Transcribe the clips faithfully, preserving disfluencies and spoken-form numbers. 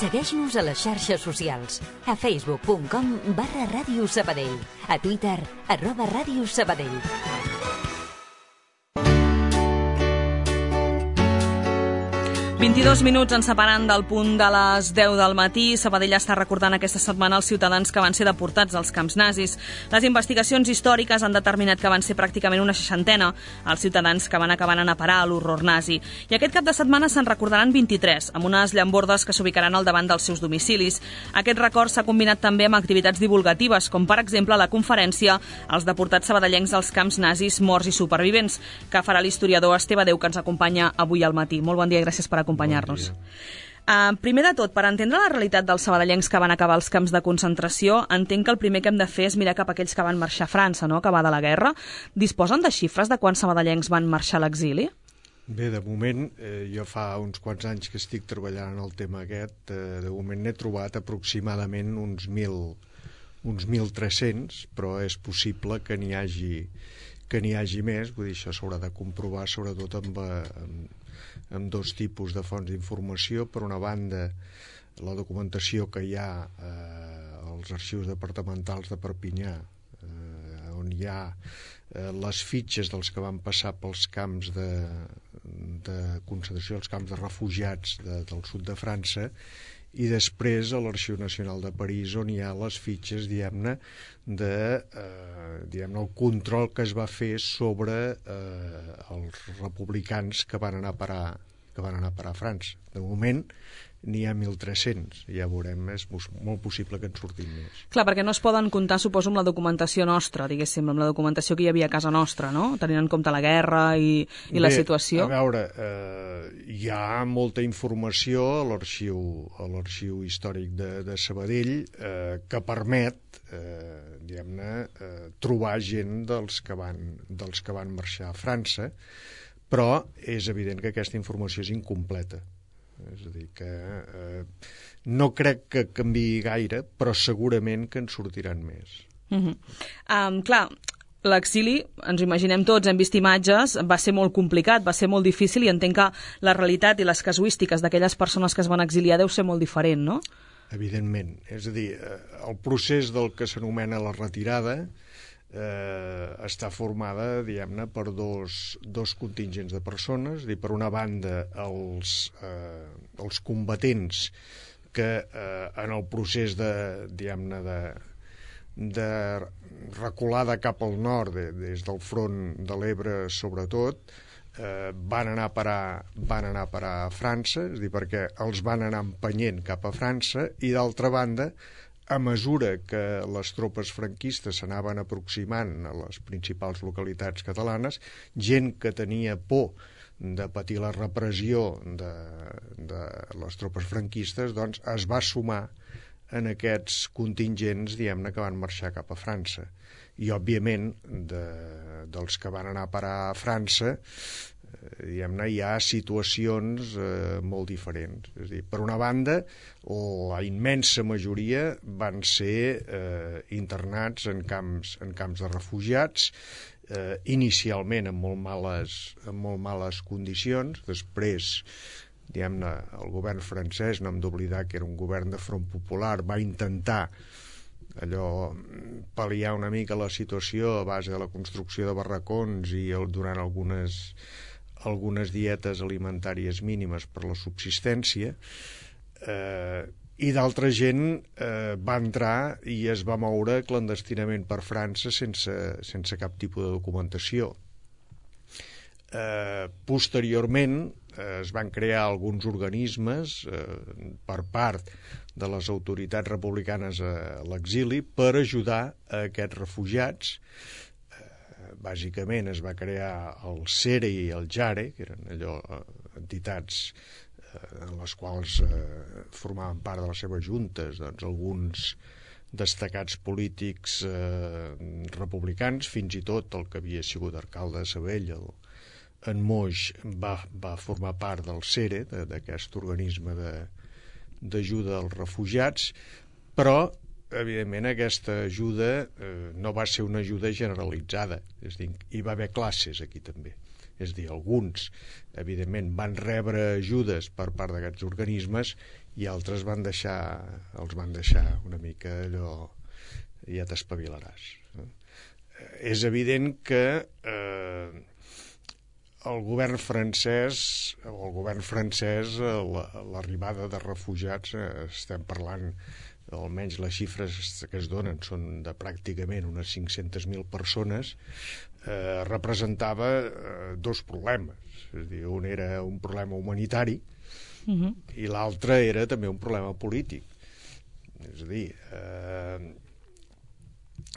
Segueix-nos a les xarxes socials. A facebook punt com barra Ràdio Sabadell. A Twitter, arroba Ràdio Sabadell. vint-i-dos minuts ens separen del punt de les deu del matí. Sabadell està recordant aquesta setmana els ciutadans que van ser deportats als camps nazis. Les investigacions històriques han determinat que van ser pràcticament una seixantena els ciutadans que van acabar anant a parar a l'horror nazi. I aquest cap de setmana se'n recordaran vint-i-tres, amb unes llambordes que s'ubicaran al davant dels seus domicilis. Aquest record s'ha combinat també amb activitats divulgatives, com per exemple la conferència als deportats sabadellencs als camps nazis, morts i supervivents, que farà l'historiador Esteve Déu, que ens acompanya avui al matí. Molt bon dia i gràcies per acompanyar acompanyar-nos. Uh, primer de tot, per entendre la realitat dels sabadellencs que van acabar als camps de concentració, entenc que el primer que hem de fer és mirar cap a aquells que van marxar a França, no?, acabar de la guerra. Disposen de xifres de quants sabadellencs van marxar a l'exili? Bé, de moment, eh, jo fa uns quants anys que estic treballant en el tema aquest, eh, de moment n'he trobat aproximadament uns mil, uns mil tres-cents, però és possible que n'hi hagi, que n'hi hagi més, vull dir, això s'haurà de comprovar sobretot amb, amb amb dos tipus de fonts d'informació. Per una banda, la documentació que hi ha eh, als arxius departamentals de Perpinyà, eh, on hi ha eh, les fitxes dels que van passar pels camps de, de concentració, els camps de refugiats de, del sud de França, i després a l'Arxiu Nacional de París, on hi ha les fitxes, diguem-ne, de eh, diguem-ne, el control que es va fer sobre eh, els republicans que van anar a parar, que van anar a parar a França. De moment n'hi ha mil tres-cents, ja veurem, és molt possible que en surtin més. Clar, perquè no es poden comptar, suposo, amb la documentació nostra, diguéssim, amb la documentació que hi havia a casa nostra, no?, tenint en compte la guerra i, i Bé, la situació. A veure, eh, hi ha molta informació a l'arxiu a l'arxiu històric de, de Sabadell eh, que permet eh, diguem-ne, eh, trobar gent dels que, van, dels que van marxar a França, però és evident que aquesta informació és incompleta. És a dir, que eh, no crec que canviï gaire, però segurament que en sortiran més. Uh-huh. Um, clar, l'exili, ens ho imaginem tots, hem vist imatges, va ser molt complicat, va ser molt difícil, i entenc que la realitat i les casuístiques d'aquelles persones que es van exiliar deu ser molt diferent, no? Evidentment. És a dir, el procés del que s'anomena la retirada Eh, està formada, diguem-ne, per dos, dos contingents de persones. Dir, per una banda, els, eh, els combatents que eh, en el procés de, diguem-ne, de, de reculada cap al nord, de, des del front de l'Ebre sobretot, eh, van anar a parar, van anar a parar a França, és a dir, perquè els van anar empenyent cap a França, i d'altra banda, a mesura que les tropes franquistes s'anaven aproximant a les principals localitats catalanes, gent que tenia por de patir la repressió de, de les tropes franquistes, doncs es va sumar en aquests contingents, diguem-ne, que van marxar cap a França. I, òbviament, de, dels que van anar a parar a França, diguem-ne, hi ha situacions eh, molt diferents. És a dir, per una banda, la immensa majoria van ser eh, internats en camps, en camps de refugiats, eh, inicialment en molt males, en molt males condicions. Després, diguem-ne, el govern francès, no hem d'oblidar que era un govern de Front Popular, va intentar allò pal·liar una mica la situació a base de la construcció de barracons i el, durant algunes algunes dietes alimentàries mínimes per la subsistència, eh, i d'altra gent eh, va entrar i es va moure clandestinament per França sense, sense cap tipus de documentació. Eh, posteriorment eh, es van crear alguns organismes eh, per part de les autoritats republicanes a l'exili per ajudar a aquests refugiats. Bàsicament es va crear el SERE i el JARE, que eren allò entitats eh, en les quals eh, formaven part de les seves juntes doncs, alguns destacats polítics eh, republicans, fins i tot el que havia sigut alcalde de Sabadell, el, en Moix, va, va formar part del SERE, d'aquest organisme d'ajuda als refugiats, però evidentment aquesta ajuda eh, no va ser una ajuda generalitzada, és a dir, hi va haver classes aquí també. És a dir, alguns, evidentment, van rebre ajudes per part d'aquests organismes i altres van deixar, els van deixar una mica allò, ja t'espavilaràs. És evident que eh, el govern francès, o el govern francès, l'arribada de refugiats, estem parlant, almenys les xifres que es donen són de pràcticament unes cinc-centes mil persones, eh, representava eh, dos problemes. És a dir, un era un problema humanitari uh-huh. i l'altre era també un problema polític. És a dir, eh,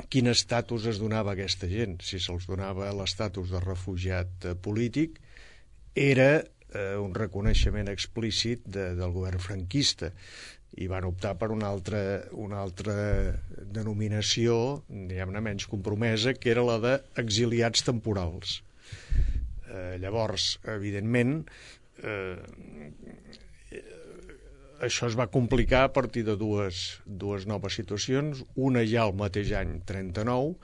quin estatus es donava a aquesta gent? Si se'ls donava l'estatus de refugiat eh, polític, era eh, un reconeixement explícit de, del govern franquista, i van optar per una altra, una altra denominació, diguem-ne, menys compromesa, que era la d'exiliats temporals. Eh, llavors, evidentment, eh, això es va complicar a partir de dues, dues noves situacions. Una ja el mateix any trenta-nou,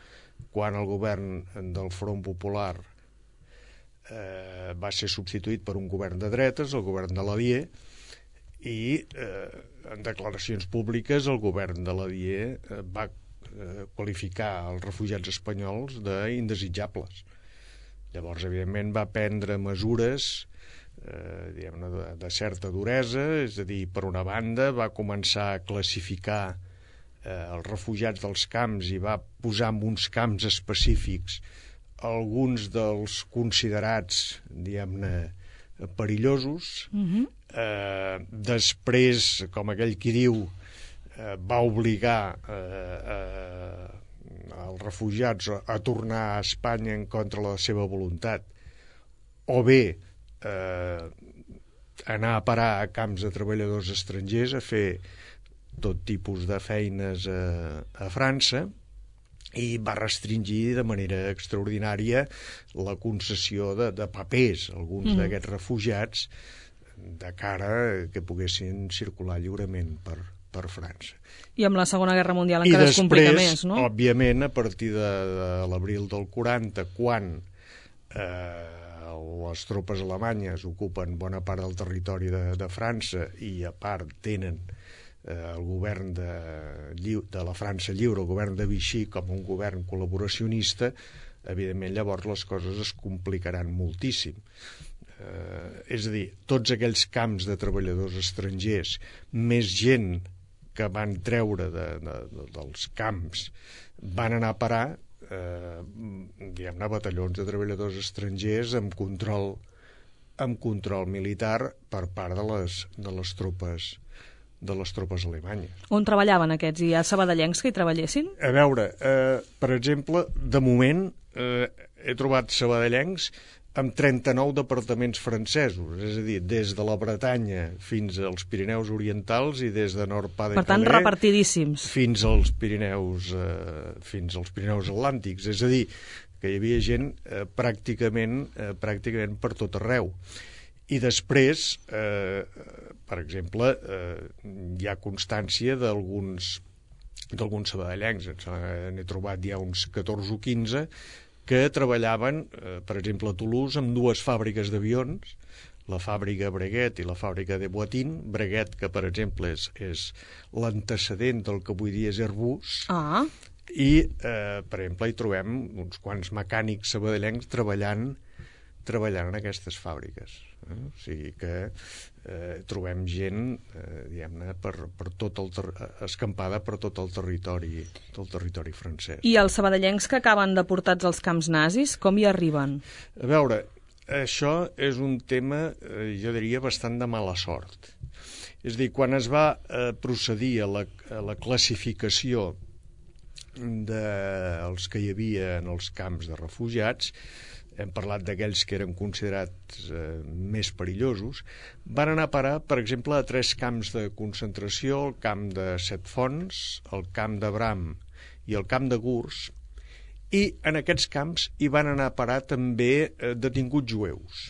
quan el govern del Front Popular eh, va ser substituït per un govern de dretes, el govern de l'Alier, i eh, en declaracions públiques el govern de l'Alier eh, va eh, qualificar els refugiats espanyols d'indesitjables. Llavors, evidentment, va prendre mesures eh, diguem-ne, de, de certa duresa, és a dir, per una banda, va començar a classificar eh, els refugiats dels camps i va posar en uns camps específics alguns dels considerats, diguem-ne, perillosos. Uh-huh. eh, després, com aquell qui diu, eh, va obligar eh, eh, els refugiats a, a tornar a Espanya en contra de la seva voluntat, o bé eh, anar a parar a camps de treballadors estrangers a fer tot tipus de feines a, a França, i va restringir de manera extraordinària la concessió de, de papers a alguns mm. d'aquests refugiats de cara que poguessin circular lliurement per, per França. I amb la Segona Guerra Mundial encara es complica més, no? I després, òbviament, a partir de, de l'abril del quaranta, quan eh, les tropes alemanyes ocupen bona part del territori de, de França i a part tenen el govern de, de la França lliure, el govern de Vichy, com un govern col·laboracionista, evidentment llavors les coses es complicaran moltíssim. Eh, és a dir, tots aquells camps de treballadors estrangers, més gent que van treure de, de, de, dels camps, van anar a parar eh, diguem-ne, batallons de treballadors estrangers amb control, amb control militar per part de les, de les tropes de les tropes alemanyes. On treballaven aquests? Hi ha sabadellencs que hi treballessin? A veure, eh, per exemple, de moment eh, he trobat sabadellencs amb trenta-nou departaments francesos, és a dir, des de la Bretanya fins als Pirineus Orientals i des de Nord-Pas-de-Calais... Per tant, repartidíssims. Fins als Pirineus, eh, fins als Pirineus Atlàntics, és a dir, que hi havia gent eh, pràcticament, eh, pràcticament per tot arreu. I després, eh, per exemple, eh, hi ha constància d'alguns d'alguns sabadellencs, n'he trobat ja uns catorze o quinze, que treballaven, eh, per exemple, a Toulouse, amb dues fàbriques d'avions, la fàbrica Breguet i la fàbrica de Boitin. Breguet, que, per exemple, és, és l'antecedent del que avui dia és Airbus, ah. i, eh, per exemple, hi trobem uns quants mecànics sabadellencs treballant treballant en aquestes fàbriques. Eh? O sigui que eh, trobem gent eh, diguem-ne, per, per tot el ter escampada per tot el territori, tot el territori francès. I els sabadellencs que acaben deportats als camps nazis, com hi arriben? A veure, això és un tema, eh, jo diria, bastant de mala sort. És a dir, quan es va eh, procedir a la, a la classificació dels que hi havia en els camps de refugiats, hem parlat d'aquells que eren considerats eh, més perillosos, van anar a parar, per exemple, a tres camps de concentració, el camp de Set Fonts, el camp de Bram i el camp de Gurs, i en aquests camps hi van anar a parar també eh, detinguts jueus.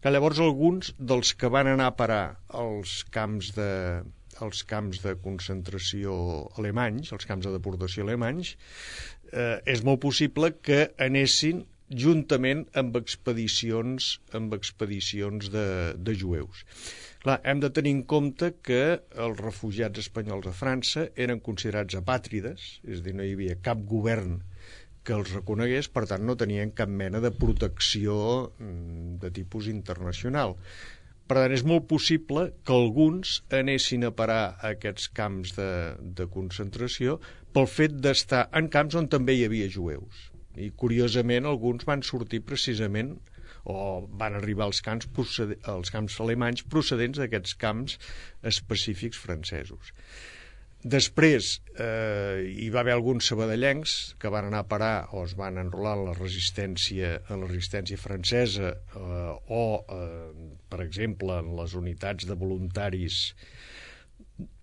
Que llavors alguns dels que van anar a parar als camps de, als camps de concentració alemanys, els camps de deportació alemanys, eh, és molt possible que anessin juntament amb expedicions, amb expedicions de, de jueus. Clar, hem de tenir en compte que els refugiats espanyols a França eren considerats apàtrides, és a dir, no hi havia cap govern que els reconegués, per tant no tenien cap mena de protecció de tipus internacional. Per tant, és molt possible que alguns anessin a parar a aquests camps de, de concentració pel fet d'estar en camps on també hi havia jueus. I, curiosament, alguns van sortir precisament o van arribar als camps, als camps alemanys procedents d'aquests camps específics francesos. Després eh, hi va haver alguns sabadellencs que van anar a parar o es van enrolar en la resistència, en la resistència francesa eh, o, eh, per exemple, en les unitats de voluntaris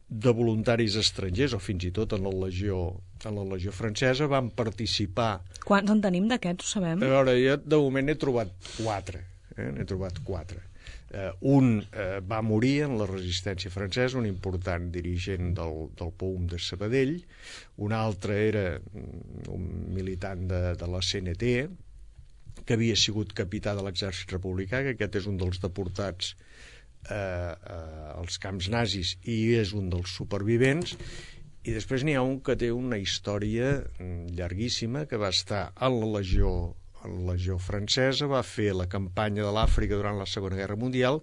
de voluntaris estrangers o fins i tot en la legió, en la legió francesa van participar. Quants en tenim d'aquests, ho sabem? A veure, jo de moment n'he trobat quatre. Eh? N'he trobat quatre. Uh, un uh, va morir en la resistència francesa, un important dirigent del, del P O U M de Sabadell, un altre era un militant de, de la C N T, que havia sigut capità de l'exèrcit republicà, que aquest és un dels deportats uh, uh, als camps nazis i és un dels supervivents, i després n'hi ha un que té una història llarguíssima, que va estar a la legió la legió francesa, va fer la campanya de l'Àfrica durant la Segona Guerra Mundial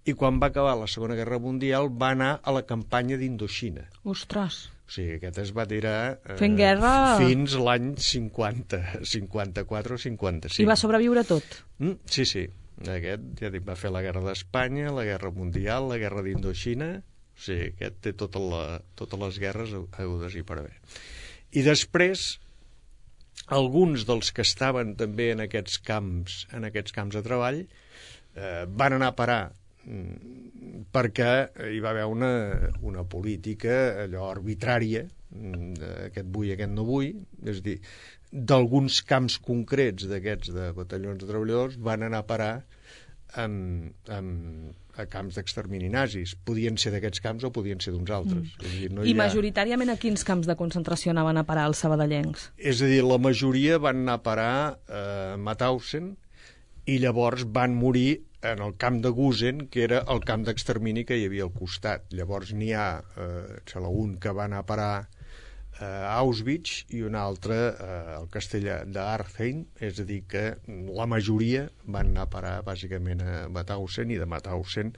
i quan va acabar la Segona Guerra Mundial va anar a la campanya d'Indoxina. Ostres! O sigui, aquest es va tirar eh, fent guerra fins l'any cinquanta, cinquanta-quatre o cinquanta-cinc. I va sobreviure tot? Mm, sí, sí. Aquest, ja dic, va fer la Guerra d'Espanya, la Guerra Mundial, la Guerra d'Indoxina. O sigui, aquest té tota la, totes les guerres hagudes i per haver. I després alguns dels que estaven també en aquests camps, en aquests camps de treball eh, van anar a parar mm, perquè hi va haver una, una política allò arbitrària aquest vull, aquest no vull, és a dir, d'alguns camps concrets d'aquests de batallons de treballadors van anar a parar amb, amb, a camps d'extermini nazis. Podien ser d'aquests camps o podien ser d'uns altres. Mm. És a dir, no I ha... majoritàriament a quins camps de concentració anaven a parar els sabadellencs? És a dir, la majoria van anar a parar a Mauthausen i llavors van morir en el camp de Gusen, que era el camp d'extermini que hi havia al costat. Llavors n'hi ha eh, un que va anar a parar a Auschwitz i un altre eh, al castell d'Artheim, és a dir que la majoria van anar a parar bàsicament a Mauthausen i de Mauthausen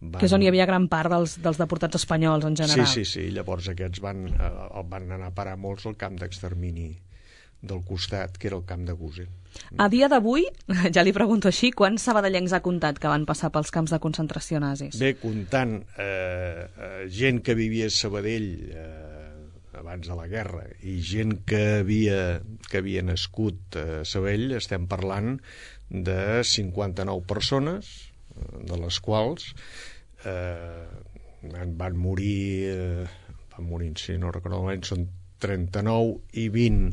van... Que és on hi havia gran part dels, dels deportats espanyols en general. Sí, sí, sí, llavors aquests van, eh, van anar a parar molts al camp d'extermini del costat, que era el camp de Gusen. A dia d'avui, ja li pregunto així, quants sabadellencs ha comptat que van passar pels camps de concentració nazis? Bé, comptant eh, eh, gent que vivia a Sabadell eh, abans de la guerra i gent que havia, que havia nascut a Sabadell, estem parlant de cinquanta-nou persones, de les quals eh, van morir, eh, van morir, si no recordo malament, són trenta-nou i vint,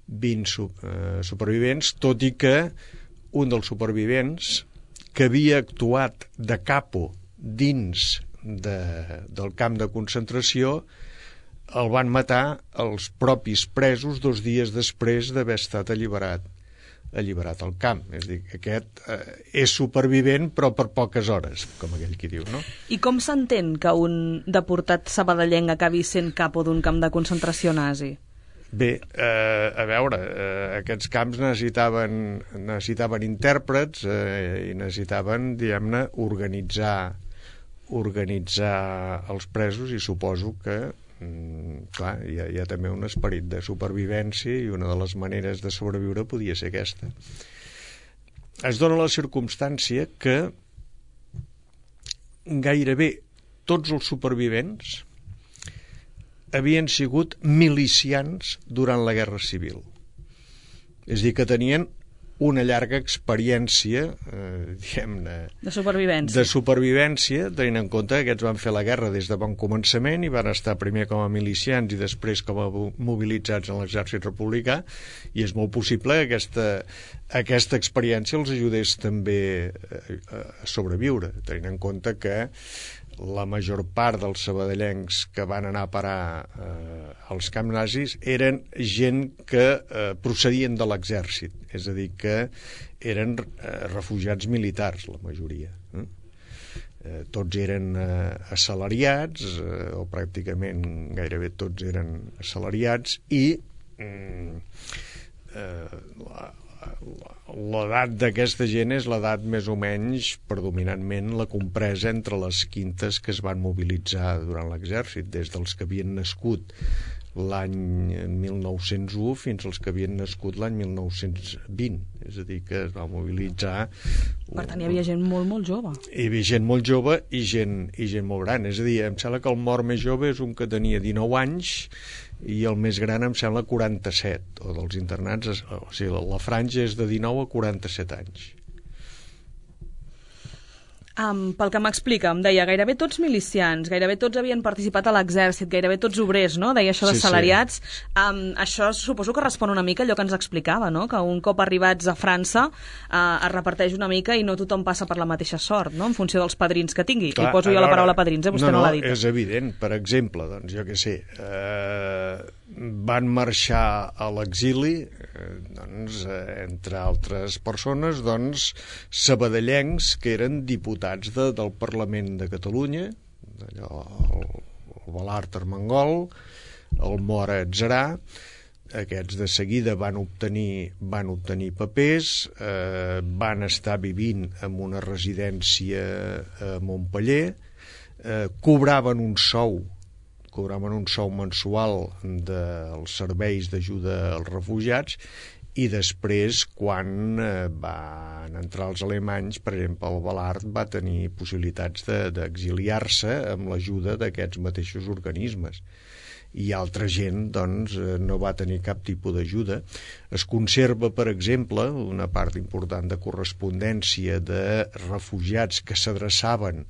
vint eh, supervivents, tot i que un dels supervivents que havia actuat de capo dins de, del camp de concentració el van matar els propis presos dos dies després d'haver estat alliberat alliberat al camp. És a dir, aquest eh, és supervivent però per poques hores, com aquell qui diu, no? I com s'entén que un deportat sabadellenc acabi sent capo d'un camp de concentració nazi? Bé, eh, a veure, eh, aquests camps necessitaven, necessitaven intèrprets eh, i necessitaven, diguem-ne, organitzar, organitzar els presos i suposo que clar, hi ha, hi ha també un esperit de supervivència i una de les maneres de sobreviure podia ser aquesta. Es dona la circumstància que gairebé tots els supervivents havien sigut milicians durant la Guerra Civil. És a dir, que tenien una llarga experiència eh, diguem-ne de supervivència. de supervivència, tenint en compte que aquests van fer la guerra des de bon començament i van estar primer com a milicians i després com a mobilitzats en l'exèrcit republicà, i és molt possible que aquesta, aquesta experiència els ajudés també a sobreviure, tenint en compte que la major part dels sabadellencs que van anar a parar eh, als camps nazis eren gent que eh, procedien de l'exèrcit, és a dir, que eren eh, refugiats militars, la majoria. Eh? Eh, tots eren eh, assalariats, eh, o pràcticament gairebé tots eren assalariats, i mm, eh, la, l'edat d'aquesta gent és l'edat més o menys, predominantment, la compresa entre les quintes que es van mobilitzar durant l'exèrcit, des dels que havien nascut l'any mil nou-cents u fins als que havien nascut l'any mil nou-cents vint, és a dir, que es va mobilitzar. Per tant, hi havia gent molt, molt jove. Hi havia gent molt jove i gent, i gent molt gran, és a dir, em sembla que el mort més jove és un que tenia dinou anys i el més gran em sembla quaranta-set, o dels internats, o sigui, la franja és de dinou a quaranta-set anys. Um, pel que m'explica, em deia, gairebé tots milicians, gairebé tots havien participat a l'exèrcit, gairebé tots obrers, no? Deia això de salariats. Sí, sí. Um, això suposo que respon una mica a allò que ens explicava, no? Que un cop arribats a França uh, es reparteix una mica i no tothom passa per la mateixa sort, no? En funció dels padrins que tingui. Clar, I poso jo la paraula padrins, eh? Vostè no, no, no l'ha dit. És evident. Per exemple, doncs, jo què sé, eh, van marxar a l'exili, eh, doncs, eh, entre altres persones, doncs, sabadellencs que eren diputats De, del Parlament de Catalunya, allò, el, el Balart Armengol, el Mora Atzerà. Aquests de seguida van obtenir, van obtenir papers, eh, van estar vivint en una residència a Montpeller, eh, cobraven un sou, cobraven un sou mensual dels serveis d'ajuda als refugiats, i després, quan eh, van entrar els alemanys, per exemple, el Balart va tenir possibilitats d'exiliar-se de, amb l'ajuda d'aquests mateixos organismes. I altra gent, doncs, no va tenir cap tipus d'ajuda. Es conserva, per exemple, una part important de correspondència de refugiats que s'adreçaven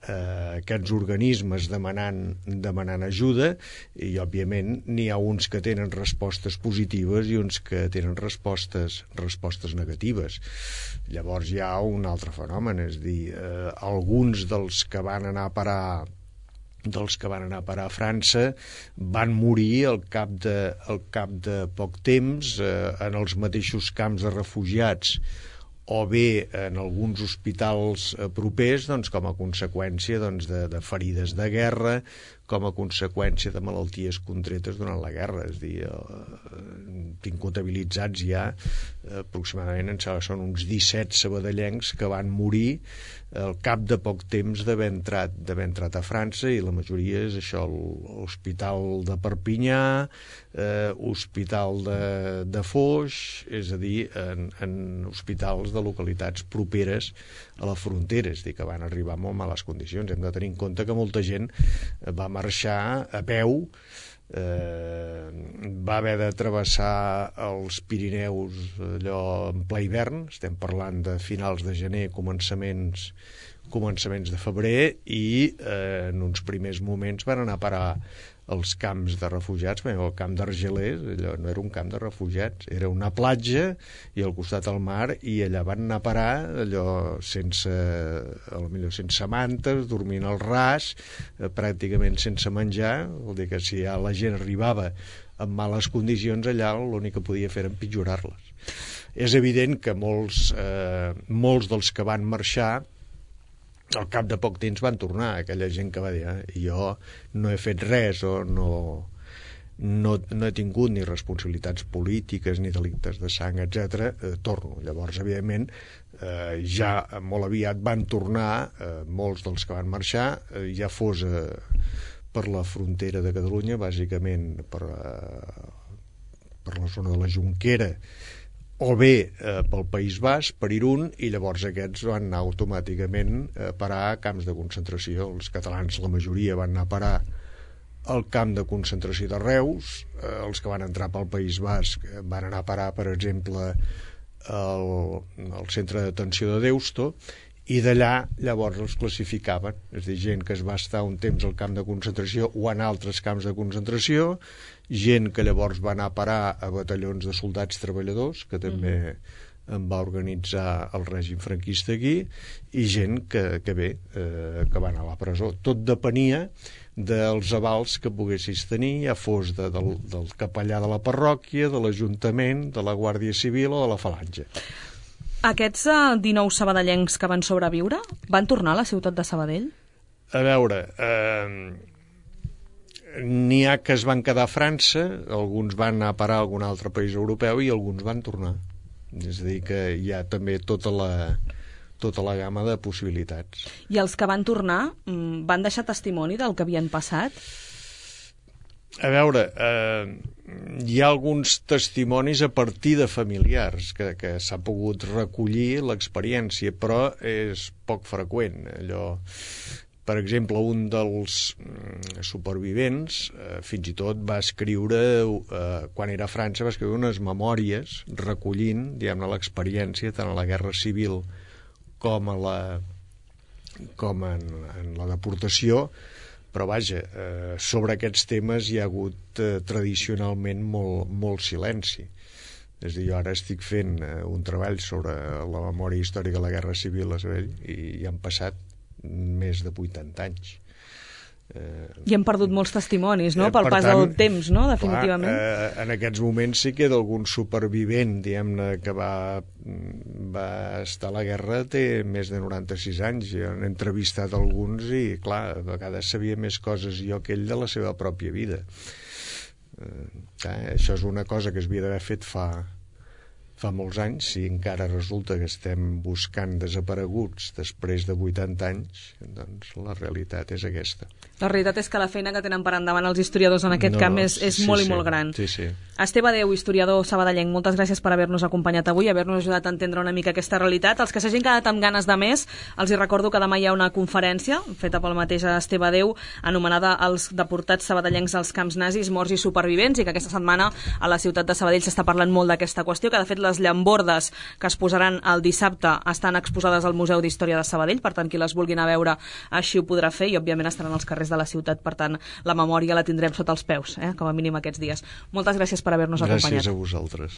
a aquests organismes demanant, demanant ajuda, i òbviament n'hi ha uns que tenen respostes positives i uns que tenen respostes, respostes negatives. Llavors hi ha un altre fenomen, és dir, eh, alguns dels que van anar a parar dels que van anar a parar a França van morir al cap de, al cap de poc temps eh, en els mateixos camps de refugiats o bé en alguns hospitals propers, doncs, com a conseqüència doncs, de, de ferides de guerra, com a conseqüència de malalties contretes durant la guerra. És a dir, eh, tinc comptabilitzats ja eh, aproximadament, em sembla, són uns disset sabadellencs que van morir al cap de poc temps d'haver entrat, d'haver entrat a França, i la majoria és això, l'Hospital de Perpinyà, eh, Hospital de, de Foix, és a dir, en, en hospitals de localitats properes a la frontera, és a dir, que van arribar en molt males condicions. Hem de tenir en compte que molta gent va marxar a peu, eh, va haver de travessar els Pirineus allò en ple hivern, estem parlant de finals de gener, començaments començaments de febrer, i eh, en uns primers moments van anar a parar els camps de refugiats. Bé, el camp d'Argelers, allò no era un camp de refugiats, era una platja i al costat del mar, i allà van anar a parar allò sense, potser sense mantes, dormint al ras, eh, pràcticament sense menjar. Vol dir que si ja la gent arribava en males condicions, allà l'únic que podia fer era empitjorar-les. És evident que molts, eh, molts dels que van marxar al cap de poc temps van tornar, aquella gent que va dir eh, jo no he fet res o no, no, no he tingut ni responsabilitats polítiques ni delictes de sang, etcètera, eh, torno. Llavors, evidentment, eh, ja molt aviat van tornar, eh, molts dels que van marxar, eh, ja fos eh, per la frontera de Catalunya, bàsicament per, eh, per la zona de la Jonquera, o bé eh, pel País Basc, per Irún, i llavors aquests van anar automàticament a parar a camps de concentració. Els catalans, la majoria, van anar a parar al camp de concentració de Reus, eh, els que van entrar pel País Basc van anar a parar, per exemple, al, al centre de detenció de Deusto, i d'allà llavors els classificaven, és a dir, gent que es va estar un temps al camp de concentració o en altres camps de concentració, gent que llavors va anar a parar a batallons de soldats treballadors, que també en va organitzar el règim franquista aquí, i gent que, que bé, eh, que va anar a la presó. Tot depenia dels avals que poguessis tenir, ja fos de, del, del capellà de la parròquia, de l'Ajuntament, de la Guàrdia Civil o de la Falange. Aquests uh, dinou sabadellencs que van sobreviure van tornar a la ciutat de Sabadell? A veure, eh, n'hi ha que es van quedar a França, alguns van anar a parar a algun altre país europeu i alguns van tornar. És a dir, que hi ha també tota la, tota la gamma de possibilitats. I els que van tornar van deixar testimoni del que havien passat? A veure, eh, hi ha alguns testimonis a partir de familiars que, que s'ha pogut recollir l'experiència, però és poc freqüent. Allò, per exemple, un dels supervivents eh, fins i tot va escriure, eh, quan era a França, va escriure unes memòries recollint, diguem-ne, l'experiència tant a la Guerra Civil com a la com en, en la deportació, però vaja, eh, sobre aquests temes hi ha hagut eh, tradicionalment molt, molt silenci. És a dir, jo ara estic fent eh, un treball sobre la memòria històrica de la Guerra Civil a Sabadell i hi han passat més de vuitanta anys. Eh, I hem perdut molts testimonis, no?, pel pas del temps, no?, definitivament. Clar, eh, en aquests moments sí que d'algun supervivent, diguem-ne, que va, va estar a la guerra, té més de noranta-sis anys. Jo he entrevistat alguns i, clar, a vegades sabia més coses jo que ell de la seva pròpia vida. Eh, clar, això és una cosa que s'havia d'haver fet fa... fa molts anys, si encara resulta que estem buscant desapareguts després de vuitanta anys, doncs la realitat és aquesta. La realitat és que la feina que tenen per endavant els historiadors en aquest no, camp és, és sí, molt sí, i molt gran. Sí, sí. Esteve Déu, historiador sabadellenc, moltes gràcies per haver-nos acompanyat avui, haver-nos ajudat a entendre una mica aquesta realitat. Els que s'hagin quedat amb ganes de més, els hi recordo que demà hi ha una conferència feta pel mateix Esteve Déu, anomenada Els deportats sabadellencs als camps nazis, morts i supervivents, i que aquesta setmana a la ciutat de Sabadell s'està parlant molt d'aquesta qüestió, que de fet les llambordes que es posaran el dissabte estan exposades al Museu d'Història de Sabadell, per tant qui les vulguin a veure així ho podrà fer, i òbviament estaran als carrers de la ciutat, per tant la memòria la tindrem sota els peus, eh? Com a mínim aquests dies. Moltes gràcies per haver-nos acompanyat. Gràcies a vosaltres.